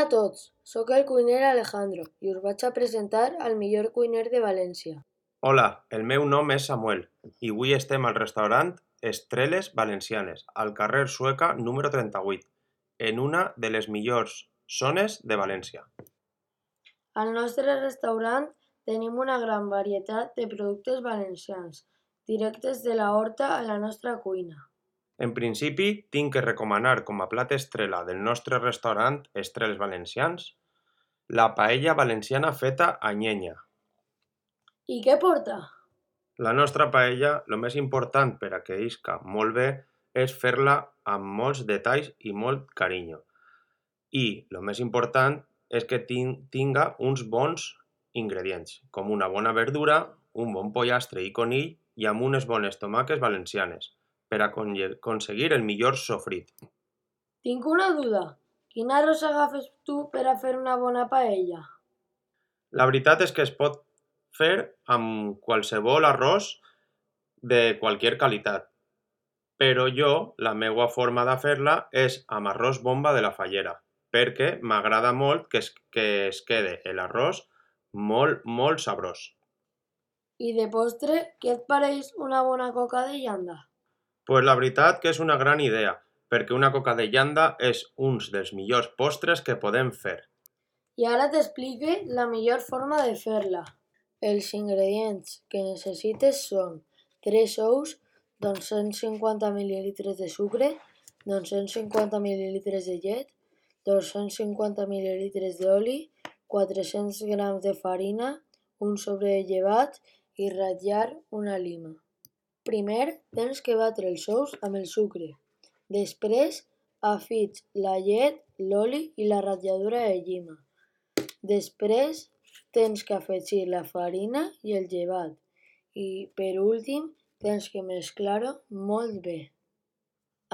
a tots, sóc el cuiner Alejandro i us vaig a presentar al millor cuiner de València. Hola, el meu nom és Samuel i avui estem al restaurant Estreles Valencianes, al carrer Sueca número 38, en una de les millors zones de València. Al nostre restaurant tenim una gran varietat de productes valencians, directes de la horta a la nostra cuina. En principi, tinc que recomanar com a plat estrella del nostre restaurant Estreles Valencians la paella valenciana feta a llenya. I què porta? La nostra paella, el més important per a que isca molt bé és fer-la amb molts detalls i molt carinyo. I el més important és que tinga uns bons ingredients, com una bona verdura, un bon pollastre i conill i amb unes bones tomaques valencianes, per a aconseguir el millor sofrit. Tinc una duda. Quin arròs agafes tu per a fer una bona paella? La veritat és que es pot fer amb qualsevol arròs de qualsevol qualitat, però la meva forma de fer-la és amb arròs bomba de la Fallera, perquè m'agrada molt que es quede l'arròs molt sabrós. I de postre, què et pareix una bona coca de llanda? Pues la veritat que és una gran idea, perquè una coca de llanda és un dels millors postres que podem fer. I ara t'explique la millor forma de fer-la. Els ingredients que necessites són 3 ous, 250 ml de sucre, 250 ml de llet, 250 ml d'oli, 400 grams de farina, un sobre de llevat i ratllar una lima. Primer tens que batre els ous amb el sucre. Després afits la llet, l'oli i la ratlladura de llima. Després tens que afegir la farina i el llevat i, per últim, tens que mesclar-ho molt bé.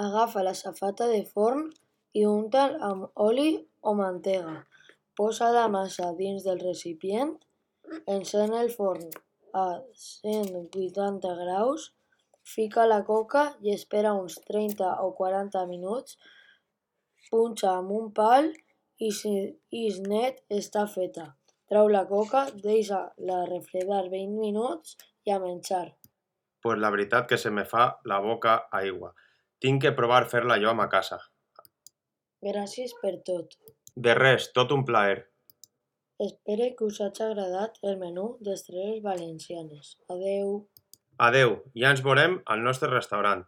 Agafa la safata de forn i unta'l amb oli o mantega. Posa la massa dins del recipient, encén el forn a 180 graus, fica la coca i espera uns 30 o 40 minuts, punxa amb un pal i si és net està feta. Trau la coca, deixa-la refredar 20 minuts i a menjar. Pues la veritat que se me fa la boca aigua. Tinc que provar fer-la jo a ma casa. Gràcies per tot. De res, tot un plaer. Espero que us hagi agradat el menú d'Estreles Valencianes. Adeu. Adeu, ja ens veurem al nostre restaurant.